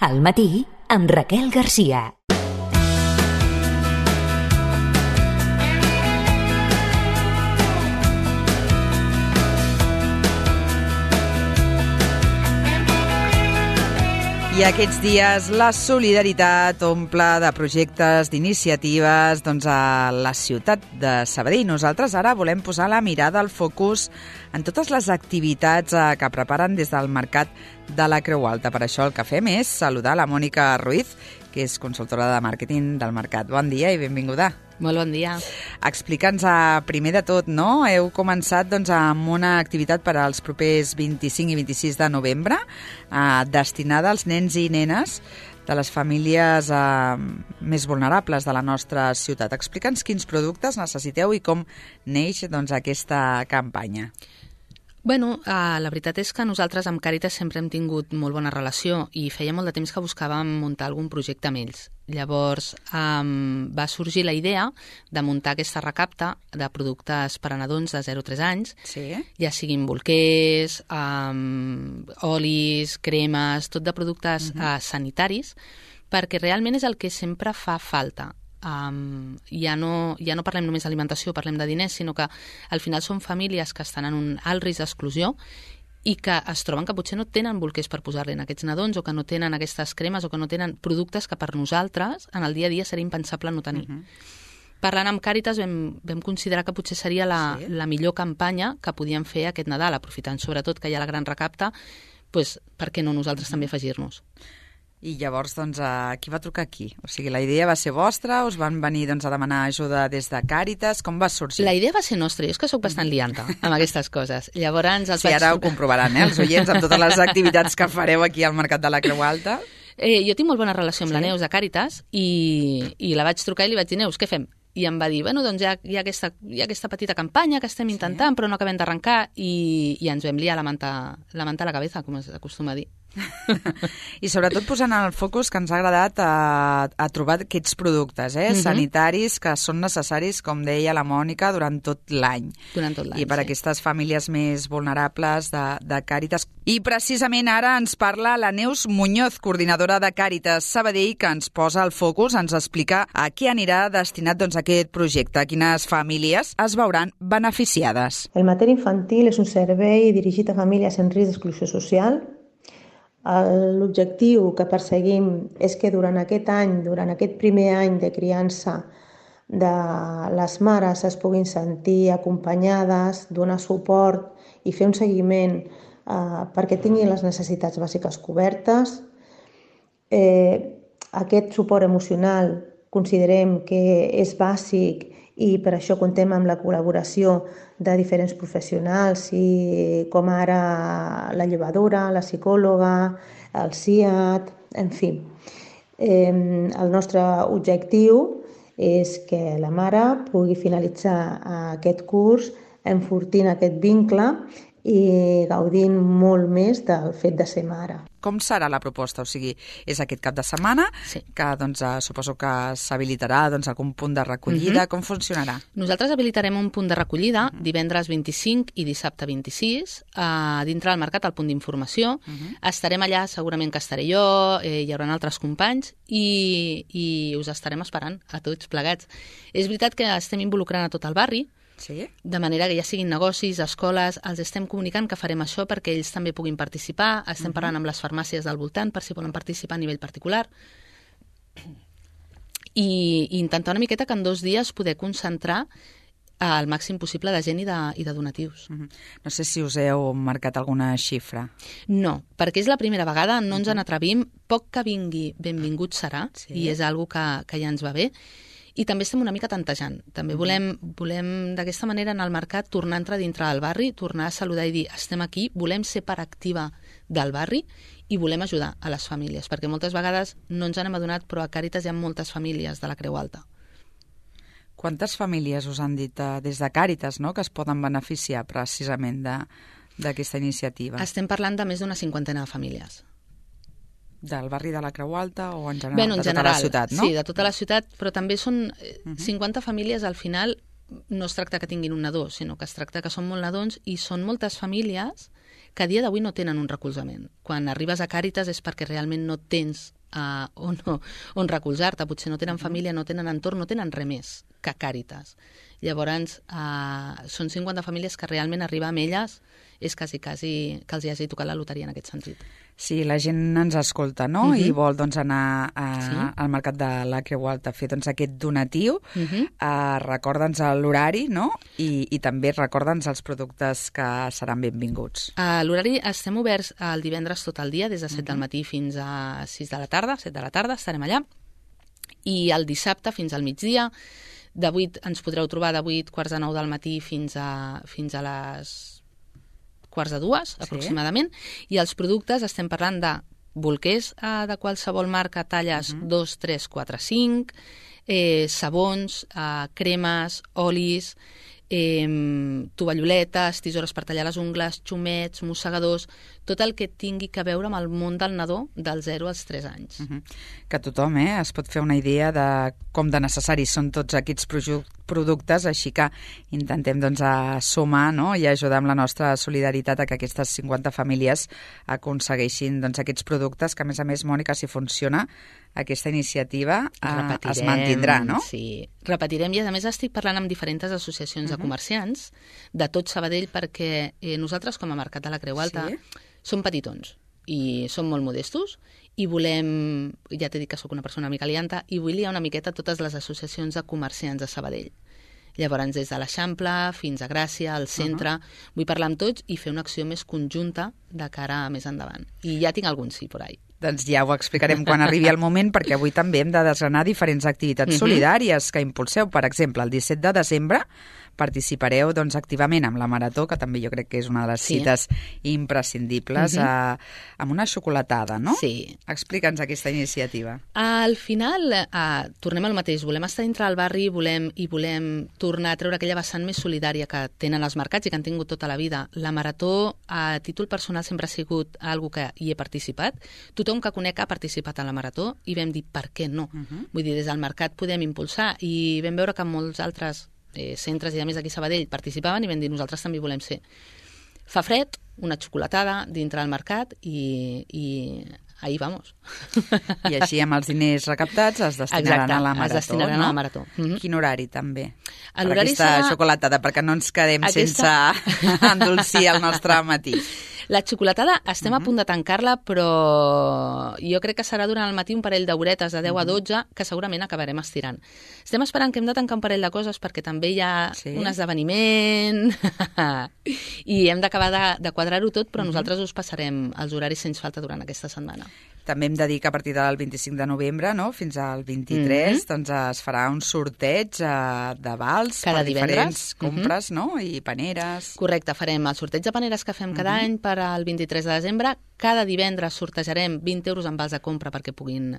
Al matí, amb Raquel Garcia. I aquests dies la solidaritat omple de projectes, d'iniciatives a la ciutat de Sabadell. Nosaltres ara volem posar la mirada, el focus en totes les activitats que preparen des del Mercat de la Creu Alta. Per això el que fem és saludar la Mònica Ruiz, que és consultora de màrqueting del Mercat. Bon dia i benvinguda. Molt bon dia. Explica'ns primer de tot, no? Heu començat amb una activitat per als propers 25 i 26 de novembre destinada als nens i nenes de les famílies més vulnerables de la nostra ciutat. Explica'ns quins productes necessiteu i com neix aquesta campanya. Bueno, la veritat és que nosaltres amb Càritas sempre hem tingut molt bona relació i feia molt de temps que buscàvem muntar algun projecte amb ells. Llavors va sorgir la idea de muntar aquesta recapta de productes per a nadons de 0 a 3 anys, sí? Ja siguin bolquers, olis, cremes, tot de productes sanitaris, perquè realment és el que sempre fa falta. Ja no parlem només d'alimentació, parlem de diners, sinó que al final són famílies que estan en un alt risc d'exclusió i que es troben que potser no tenen bolquers per posar-li en aquests nadons, o que no tenen aquestes cremes, o que no tenen productes que per nosaltres en el dia a dia seria impensable no tenir. Parlant amb Càritas vam considerar que potser seria la millor campanya que podíem fer aquest Nadal, aprofitant sobretot que hi ha la gran recapta, doncs per què no nosaltres també afegir-nos? I llavors, qui va trucar aquí? O sigui, la idea va ser vostra, us van venir a demanar ajuda des de Càritas, com va sorgir? La idea va ser nostra, jo és que sóc bastant lianta amb aquestes coses. Llavors, sí, ara ho comprovaran, els oients, amb totes les activitats que fareu aquí al Mercat de la Creu Alta. Jo tinc molt bona relació amb la Neus de Càritas i la vaig trucar i li vaig dir, Neus, què fem? I em va dir, bueno, doncs hi ha aquesta petita campanya que estem intentant, però no acabem d'arrencar, i ens vam liar la manta a la cabeza, com s'acostuma a dir. I sobretot posant el focus que ens ha agradat a trobar aquests productes sanitaris que són necessaris, com deia la Mònica, durant tot l'any. I per aquestes famílies més vulnerables de Càritas. I precisament ara ens parla la Neus Muñoz, coordinadora de Càritas Sabadell, que ens posa el focus, ens explica a què anirà destinat aquest projecte, a quines famílies es veuran beneficiades. El Mater Infantil és un servei dirigit a famílies en risc d'exclusió social. L'objectiu que perseguim és que durant aquest any, durant aquest primer any de criança, de les mares es puguin sentir acompanyades, donar suport i fer un seguiment perquè tinguin les necessitats bàsiques cobertes. Aquest suport emocional considerem que és bàsic i per això contem amb la col·laboració de diferents professionals, com ara la llevadora, la psicòloga, el CIAT, en fi. El nostre objectiu és que la mare pugui finalitzar aquest curs enfortint aquest vincle i gaudint molt més del fet de ser mare. Com serà la proposta? O sigui, és aquest cap de setmana, que suposo que s'habilitarà algun punt de recollida. Com funcionarà? Nosaltres habilitarem un punt de recollida divendres 25 i dissabte 26 dintre del mercat, al punt d'informació. Estarem allà, segurament que estaré jo, hi haurà altres companys i us estarem esperant a tots plegats. És veritat que estem involucrant a tot el barri, de manera que ja siguin negocis, escoles, els estem comunicant que farem això perquè ells també puguin participar. Estem parlant amb les farmàcies del voltant per si volen participar a nivell particular i intentar una miqueta que en 2 dies poder concentrar el màxim possible de gent i de donatius. No sé si us heu marcat alguna xifra. No, perquè és la primera vegada, no ens n'atrevim, poc que vingui benvingut serà, i és algo que ja ens va bé. I també estem una mica tantejant. També volem d'aquesta manera en el mercat tornar a entrar dintre del barri, tornar a saludar i dir estem aquí, volem ser part activa del barri i volem ajudar a les famílies, perquè moltes vegades no ens n'hem adonat, però a Càritas hi ha moltes famílies de la Creu Alta. Quantes famílies us han dit des de Càritas que es poden beneficiar precisament d'aquesta iniciativa? Estem parlant de més d'una 50 de famílies. Del barri de la Creu Alta o en general? Bueno, en general, tota la ciutat, no? Sí, de tota la ciutat, però també són 50 famílies, al final no es tracta que tinguin un nadó, sinó que es tracta que són molt nadons i són moltes famílies que a dia d'avui no tenen un recolzament. Quan arribes a Càritas és perquè realment no tens on recolzar-te, potser no tenen família, no tenen entorn, no tenen res més que Càritas. Llavors, són 50 famílies que realment arribar amb elles és quasi que els hi hagi tocat la loteria en aquest sentit. Sí, la gent ens escolta, no? I vol anar al mercat de la Creu Alta a fer aquest donatiu. Recorda'ns l'horari, no? I també recorda'ns els productes que seran benvinguts. L'horari estem oberts el divendres tot el dia, des de 7 del matí fins a 6 de la tarda, 7 de la tarda, estarem allà. I el dissabte fins al migdia, de 8 ens podreu trobar de 8, quarts de 9 del matí fins a les quarts de 2, aproximadament, i els productes estem parlant de bolquers de qualsevol marca, talles 2, 3, 4, 5, sabons, cremes, olis, tovalloletes, tisores per tallar les ungles, xumets, mossegadors, tot el que tingui que veure amb el món del nadó dels 0 als 3 anys. Que tothom es pot fer una idea de com de necessaris són tots aquests productes, així que intentem sumar, no? I ajudar amb la nostra solidaritat a que aquestes 50 famílies aconsegueixin aquests productes, que a més, Mònica, si funciona, aquesta iniciativa es mantindrà, no? Sí, repetirem, i a més estic parlant amb diferents associacions de comerciants de tot Sabadell, perquè nosaltres com a Mercat de la Creu Alta som petitons i som molt modestos i volem, ja t'he dit que sóc una persona una mica lianta, i vull liar una miqueta totes les associacions de comerciants de Sabadell. Llavors, des de l'Eixample fins a Gràcia, al centre, vull parlar amb tots i fer una acció més conjunta de cara a més endavant. I ja tinc algun sí por ahí. Doncs ja ho explicarem quan arribi el moment, perquè avui també hem de desgranar diferents activitats solidàries que impulseu. Per exemple, el 17 de desembre participareu activament amb la Marató, que també jo crec que és una de les cites imprescindibles, amb una xocolatada, no? Sí. Explica'ns aquesta iniciativa. Al final, tornem al mateix. Volem estar dintre del barri i volem tornar a treure aquella vessant més solidària que tenen els mercats i que han tingut tota la vida. La Marató, a títol personal, sempre ha sigut algo que hi he participat. Tothom que conec ha participat a la Marató i vam dir, per què no? Vull dir, des del mercat podem impulsar, i vam veure que molts altres centres i a més aquí a Sabadell participaven i vam dir, nosaltres també volem ser. Fa fred, una xocolatada dintre del mercat i ahí vamos. I així amb els diners recaptats es destinaran a la Marató. Es destinaran a la Marató. Quin horari també? L'horari per aquesta xocolatada, perquè no ens quedem sense endolcir el nostre matí. La xocolatada estem a punt de tancar-la, però jo crec que serà durant el matí un parell d'horetes de 10 a 12 que segurament acabarem estirant. Estem esperant que hem de tancar un parell de coses perquè també hi ha un esdeveniment i hem d'acabar de quadrar-ho tot, però nosaltres us passarem els horaris sense falta durant aquesta setmana. També hem de dir que a partir del 25 de novembre, no?, fins al 23, doncs es farà un sorteig de vals per diferents compres, no?, i paneres. Correcte, farem el sorteig de paneres que fem cada any per al 23 de desembre. Cada divendres sortejarem 20 euros en vals de compra perquè puguin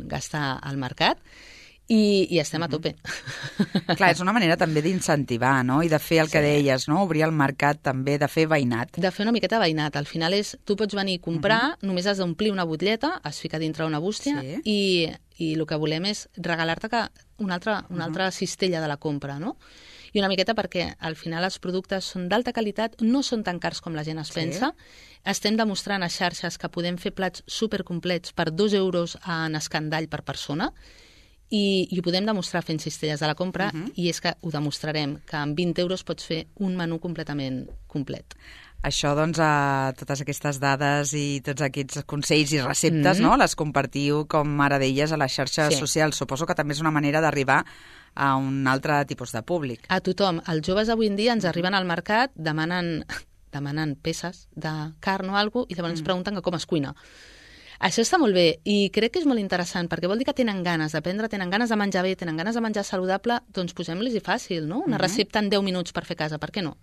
gastar al mercat. I estem a tope. Clar, és una manera també d'incentivar, no?, i de fer el que deies, no?, obrir el mercat també, de fer veïnat. De fer una miqueta veïnat. Al final és, tu pots venir a comprar, només has d'omplir una butlleta, es fica dintre una bústia i el que volem és regalar-te una altra cistella de la compra, no? I una miqueta perquè al final els productes són d'alta qualitat, no són tan cars com la gent es pensa. Estem demostrant a xarxes que podem fer plats supercomplets per 2 euros en escandall per persona, i ho podem demostrar fent cistelles de la compra, i és que ho demostrarem, que amb 20 euros pots fer un menú completament complet. Això, doncs, totes aquestes dades i tots aquests consells i receptes, no?, les compartiu, com ara deies, a les xarxes socials. Suposo que també és una manera d'arribar a un altre tipus de públic. A tothom. Els joves avui en dia ens arriben al mercat, demanen peces de carn o alguna cosa, i llavors ens pregunten que com es cuina. Això està molt bé i crec que és molt interessant perquè vol dir que tenen ganes d'aprendre, tenen ganes de menjar bé, tenen ganes de menjar saludable, doncs posem-los-hi fàcil, no? Una recepta en 10 minuts per fer a casa, per què no?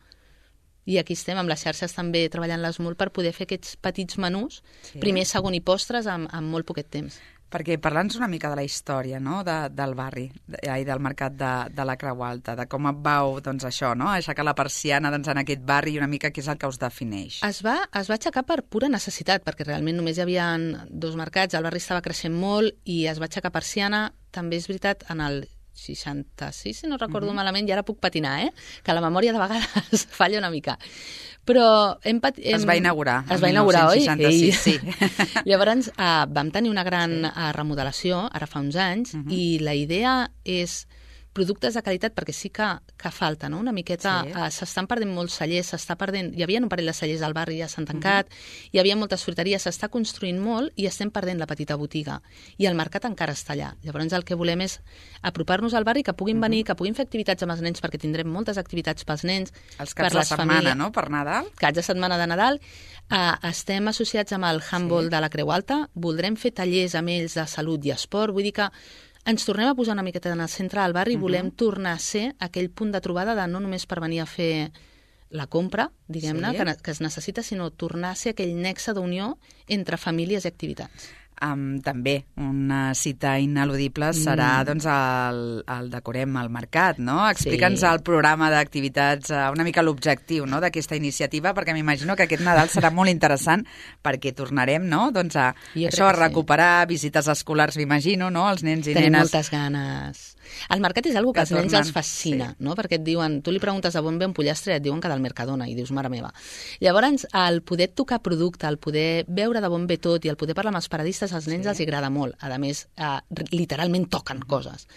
I aquí estem amb les xarxes també treballant-les molt per poder fer aquests petits menús, primer, segon i postres, amb molt poquet temps. Perquè parlant una mica de la història, no?, del barri i del mercat de la Creu Alta, de com vau, doncs, això, no?, aixecar la persiana en aquest barri i una mica què és el que us defineix. Es va aixecar per pura necessitat, perquè realment només hi havia 2 mercats, el barri estava creixent molt i es va aixecar persiana. També és veritat, en el 66, si no recordo malament, i ara puc patinar, que la memòria de vegades falla una mica. Però es va inaugurar. Es va inaugurar, oi? 1966, sí. Llavors vam tenir una gran remodelació, ara fa uns anys, i la idea és productes de qualitat, perquè sí que falta, no? Una miqueta, s'estan perdent molts cellers, s'està perdent, hi havia un parell de cellers al barri, ja s'han tancat, hi havia moltes fruiteries, s'està construint molt i estem perdent la petita botiga. I el mercat encara està allà. Llavors el que volem és apropar-nos al barri, que puguin venir, que puguin fer activitats amb els nens, perquè tindrem moltes activitats pels nens, els caps de setmana, no?, per Nadal. Caps de setmana de Nadal. Estem associats amb el handball de la Creu Alta, voldrem fer tallers amb ells de salut i esport, vull dir que ens tornem a posar una miqueta en el centre del barri i volem tornar a ser aquell punt de trobada de no només per venir a fer la compra, diguem-ne, que es necessita, sinó tornar a ser aquell nexe d'unió entre famílies i activitats. També una cita ineludible serà doncs, el Decorem al Mercat, no? Explica'ns el programa d'activitats, una mica l'objectiu, no?, d'aquesta iniciativa, perquè m'imagino que aquest Nadal serà molt interessant perquè tornarem, no?, doncs a recuperar visites escolars, m'imagino, no?, els nens i nenes. Tenim moltes ganes. El mercat és una cosa que als nens els fascina, no? Perquè et diuen, tu li preguntes a on ve un pollastre i et diuen que del Mercadona, i dius, mare meva. Llavors, el poder tocar producte, el poder veure de on ve tot i el poder parlar amb els paradistes, als nens els agrada molt. A més, literalment toquen coses.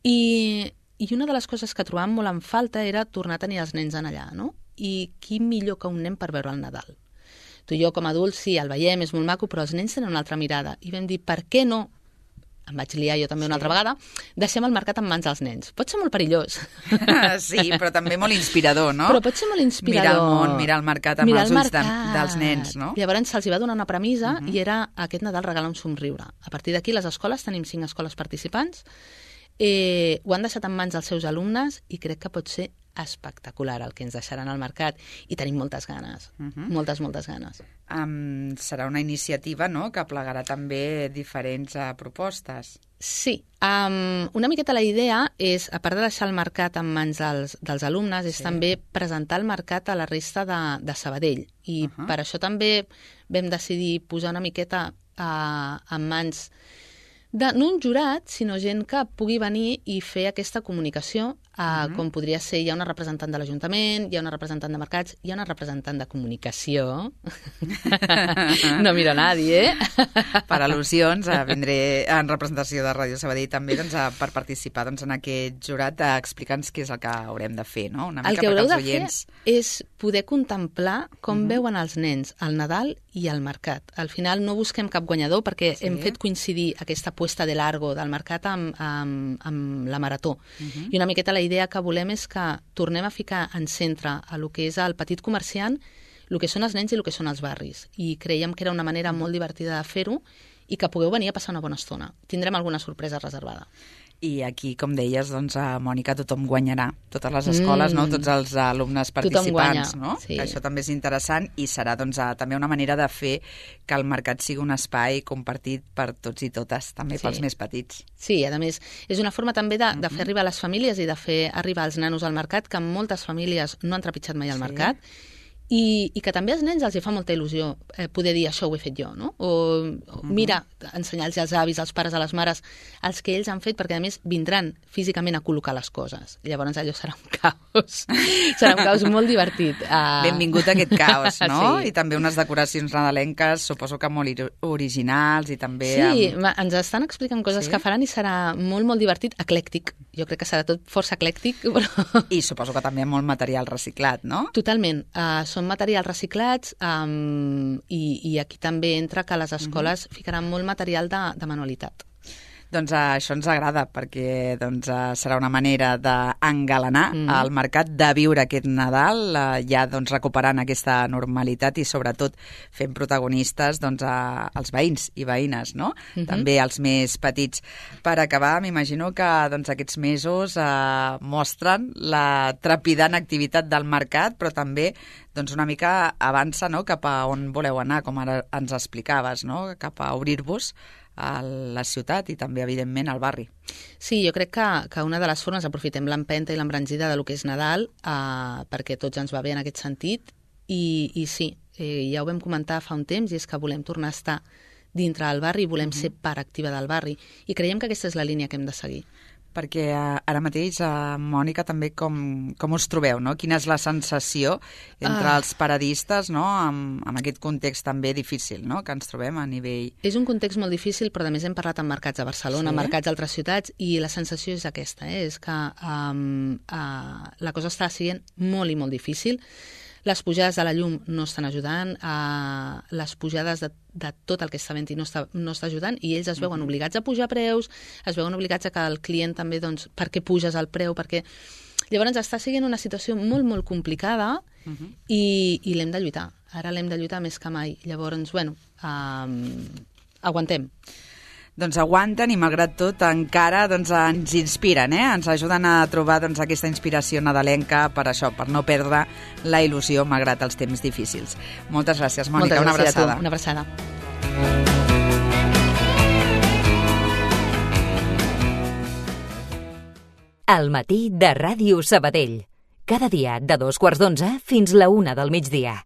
I una de les coses que trobàvem molt en falta era tornar a tenir els nens en allà, no? I qui millor que un nen per veure el Nadal? Tu i jo, com a adults, sí, el veiem, és molt maco, però els nens tenen una altra mirada. I vam dir, per què no? Em vaig liar jo també una altra vegada, deixem el mercat en mans dels nens. Pot ser molt perillós. Sí, però també molt inspirador, no? Però pot ser molt inspirador. Mirar el món, mirar el mercat amb els ulls dels nens, no? Llavors se'ls va donar una premissa i era aquest Nadal regala un somriure. A partir d'aquí, les escoles, tenim 5 escoles participants, ho han deixat en mans dels seus alumnes i crec que pot ser espectacular el que ens deixaran al mercat i tenim moltes ganes, moltes ganes. Serà una iniciativa, no?, que plegarà també diferents propostes. Sí, una miqueta la idea és, a part de deixar el mercat en mans dels alumnes, és també presentar el mercat a la resta de Sabadell i per això també vam decidir posar una miqueta en mans no un jurat, sinó gent que pugui venir i fer aquesta comunicació, com podria ser, hi ha una representant de l'Ajuntament, hi ha una representant de mercats, hi ha una representant de comunicació. No miro a nadie, Per al·lusions, vindré en representació de Ràdio Sabadell també per participar en aquest jurat, explica'ns què és el que haurem de fer, no? Una mica el que haureu de fer és poder contemplar com veuen els nens el Nadal i el mercat. Al final no busquem cap guanyador perquè hem fet coincidir aquesta puesta de largo del mercat amb la marató. I una miqueta la idea que volem és que tornem a ficar en centre a lo que és el petit comerciant, el que són els nens i el que són els barris. I creiem que era una manera molt divertida de fer-ho i que pugueu venir a passar una bona estona. Tindrem alguna sorpresa reservada. I aquí, com deies, Mònica, tothom guanyarà. Totes les escoles, no? Tots els alumnes participants, no? Sí. Que això també és interessant i serà també una manera de fer que el mercat sigui un espai compartit per tots i totes, també pels més petits. Sí, a més, és una forma també de fer arribar a les famílies i de fer arribar els nanos al mercat, que moltes famílies no han trepitjat mai al mercat, i que també als nens els fa molta il·lusió poder dir això ho he fet jo, no? O mira, ensenyar-los als avis, als pares, a les mares, els que ells han fet, perquè a més vindran físicament a col·locar les coses. Llavors allò serà un caos. Serà un caos molt divertit. Benvingut a aquest caos, no? Sí. I també unes decoracions nadalenques, suposo que molt originals i també... Sí, ens estan explicant coses que faran i serà molt, molt divertit, eclèctic. Jo crec que serà tot força eclèctic, però... I suposo que també molt material reciclat, no? Totalment. Són materials reciclats i aquí també entra que les escoles ficaran molt material de manualitat. Doncs això ens agrada perquè serà una manera d'engalanar el mercat, de viure aquest Nadal, ja recuperant aquesta normalitat i sobretot fent protagonistes als veïns i veïnes, no? També els més petits. Per acabar, m'imagino que aquests mesos mostren la trepidant activitat del mercat, però també una mica avança, no?, cap a on voleu anar, com ara ens explicaves, no?, cap a obrir-vos a la ciutat i també, evidentment, al barri. Sí, jo crec que una de les formes, aprofitem l'empenta i l'embranzida de lo que és Nadal, perquè tots ens va bé en aquest sentit, i sí, ja ho vam comentar fa un temps, i és que volem tornar a estar dintre del barri, volem ser part activa del barri, i creiem que aquesta és la línia que hem de seguir. Perquè ara mateix, Mònica, també com us trobeu, no? Quina és la sensació entre els paradistes, no? Amb aquest context també difícil, no?, que ens trobem a nivell... És un context molt difícil, però a més hem parlat amb mercats a Barcelona, mercats d'altres ciutats, i la sensació és aquesta, és que la cosa està sent molt i molt difícil. Les pujades de la llum no estan ajudant, les pujades de tot el que està venint no està ajudant, i ells es veuen obligats a pujar preus, es veuen obligats a que el client també, doncs, per què puges el preu, perquè... Llavors està sent una situació molt, molt complicada i l'hem de lluitar. Ara l'hem de lluitar més que mai. Llavors, bueno, aguantem. Doncs aguanten i, malgrat tot, encara ens inspiren, ens ajuden a trobar aquesta inspiració nadalenca per això, per no perdre la il·lusió malgrat els temps difícils. Moltes gràcies, Mònica. Una abraçada. Una abraçada. Al matí de Ràdio Sabadell. Cada dia de 2:15 fins la 1 del migdia.